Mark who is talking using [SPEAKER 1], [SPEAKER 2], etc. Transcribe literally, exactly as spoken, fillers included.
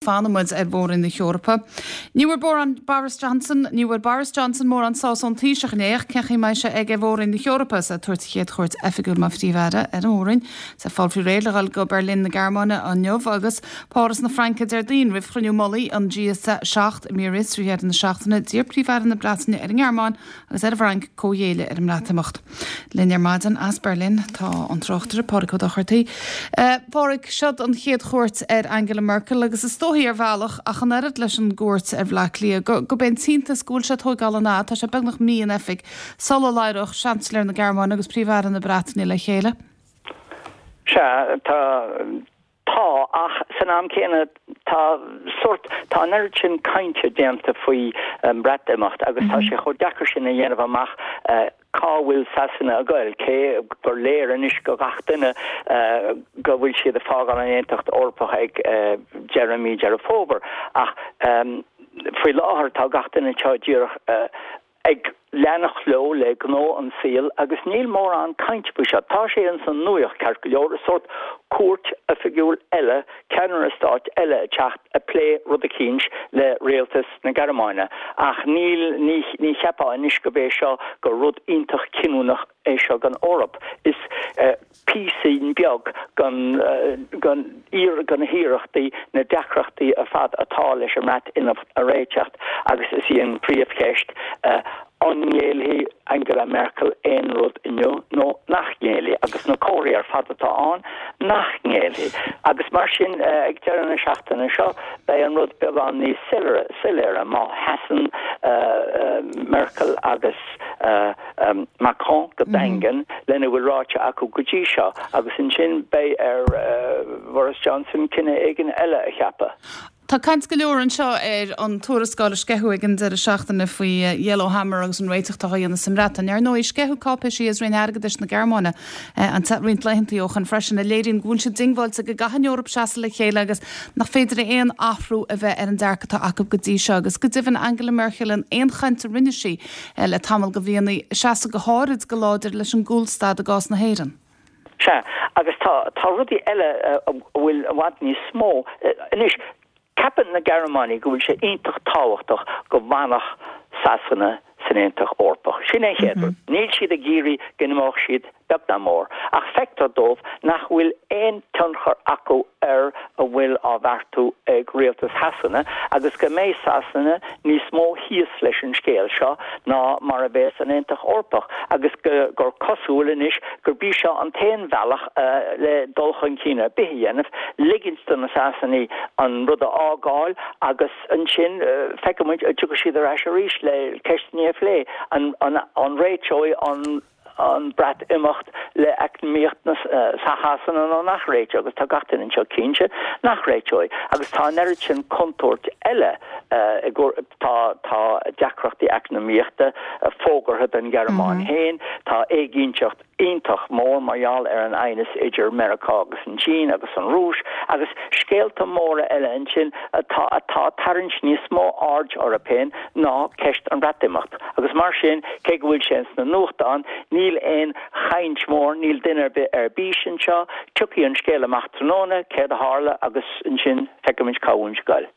[SPEAKER 1] Fanfaidh muid ar Mhór-Roinn na hEorpa. Ní bhfuair Boris Johnson ní bhfuair Boris Johnson mórán sásamh ón Taoiseach inné ach cén chaoi a mbeidh sé ag Mhór-Roinn na hEorpa is é ag tabhairt a chéad chuairt oifigiúil mar phríomh-aire ar an Mhór-Roinn. Is é ag fáil faoi réir le dhul go Berlin na Gearmáine inniu agus Páras na Fraince Déardaoin roimh chruinniú mullaigh an G seacht i mBiarritz roimh dheireadh na seachtaine d'iarr Príomh-Aire na Breataine ar an nGearmáin agus ar an bhFrainc comhghéilleadh ar an mBreatimeacht. Linn ar maidin as Berlin tá an tráchtaire Pádraig Ó Dochartaigh. Pádraig seo an chéad chuairt ar Angela Merkel agus is dóichí ar bhealach ach an oiread leis an gcuairt ar Bhleá Cliath go go b'é an t-iontas go bhfuil sé tógáil an tá sé beagnach mí in oifig sula labhróidh Seansailéir na Gearmáine agus Príomh-Aire na Breataine le chéile.
[SPEAKER 2] Sea tá tá ach san am céanna tá sort tá an oiread sin cainte déanta faoi um, Breatimeacht agus tá sé chomh deacair sin a dhéanamh amach uh, cá bhfuil Sasana ag goil cé gur léir anois go gach duine uh, go bhfuil siad ag fágáil an Aontas Eorpach ag uh, deireadh mí Deireadh Fómhair ach um, faoi láthair tá gach duine seo díreach uh, ag leanacht leo le gnó an saoil agus níl mórán cainte faoi seo. Tá sé in san nuacht ceart go leor sort cuairt oifigiúil eile ceannaire stáit eile teacht ag plé rud eicínt le rialtas na Gearmáine. Ach níl ní, ní cheapfá anois go bé seo gur rud iontach cinniúnach é seo don Eoraip. Is uh, píosa beag den uh, den iar den hiarrachtaí na deacrachtaí ar fad atá leis an mBreatimeacht a réiteach agus is í an príomhcheist uh, an ngéillfidh Angela Merkel aon rud inniu nó nach ngéillfidh agus na comharthaí ar fad atá ann nach ngéillfidh. Agus mar sin uh, ag deireadh na seachtaine seo beidh an rud beagán níos soiléire má sheasann uh, uh, Merkel agus uh, um, Macron go mhm. daingean mm -hmm. lena bhfuil ráite acu go dtí seo agus ansin beidh ar uh, Boris Johnson cinneadh éigin eile a cheapadh.
[SPEAKER 1] Tá caint go leor anseo ar an tuarascáil a sceitheadh ag an deireadh seachtaine faoi eh, Yellowhammer agus an réiteach atá á dhéanamh sa mBreatain. Ar ndóigh sceitheadh cáipéisí as Roinn Airgeadais na Gearmáine eh, an roinnt laethanta ó shin freisin a léiríonn go bhfuil siad diongbháilte go gcaithfidh an Eoraip seasamh le chéile agus nach féidir aon athrú a bheith ar an dearcadh atá acu go dtí seo agus go deimhin Angela Merkel in aon chaint a rinne sí eh, le tamall go bhfianaí seasamh go háirid go láidir leis an gcúlstad i gcás na hÉireann.
[SPEAKER 2] Sea agus tá tá rudaí eile a bhfuil i bhfad níos mó anois Ceapann na Gearmánaigh go bhfuil sé iontach tábhachtach go bhfanfadh Sasana san Aontas Eorpach. Sin é chéad. Mm -hmm. Níl siad ag iarraidh go n-imeodh siad beag ná mór, ach feictear dóibh nach bhfuil aon tionchar acu ar a bhfuil á bheartú ag rialtas Shasana agus go mbeidh Sasana níos mó thíos leis an scéal seo ná mar a bheas an Aontas Eorpach agus go, gur cosúil anois gurb í seo an t-aon bhealach uh, le dul chun cinn ar bith a dhéanamh, ligint do na Sasanaigh an rud a fhágáil agus ansin uh, feicfimid tiocfaidh siad ar ais arís le ceisteanna a phlé an, an, an réiteoidh an an Breatimeacht le eacnamaíocht na uh, Sasana nó nach réiteoidh agus tá gach duine anseo cinnte nach réiteoidh agus tá an oiread sin contúirt eile uh, tá tá deacrachtaí eacnamaíochta uh, fógartha den Ghearmáin mm -hmm. féin tá éiginnteacht iontach mór mar gheall ar an aighneas idir Meiriceá agus an tSín agus an Rúis agus scéalta móra eile ansin atá atá ag tarraingt níos mó aird orthu féin ná ceist an Bhreatimeacht. Agus mar sin cé go bhfuil sé sna nuachtáin níl aon chaint mór níl duine ar bith ar bís anseo, tiocfaidh an scéal amach tráthnóna céard a tharla agus ansin feicfimid cá bhfuil.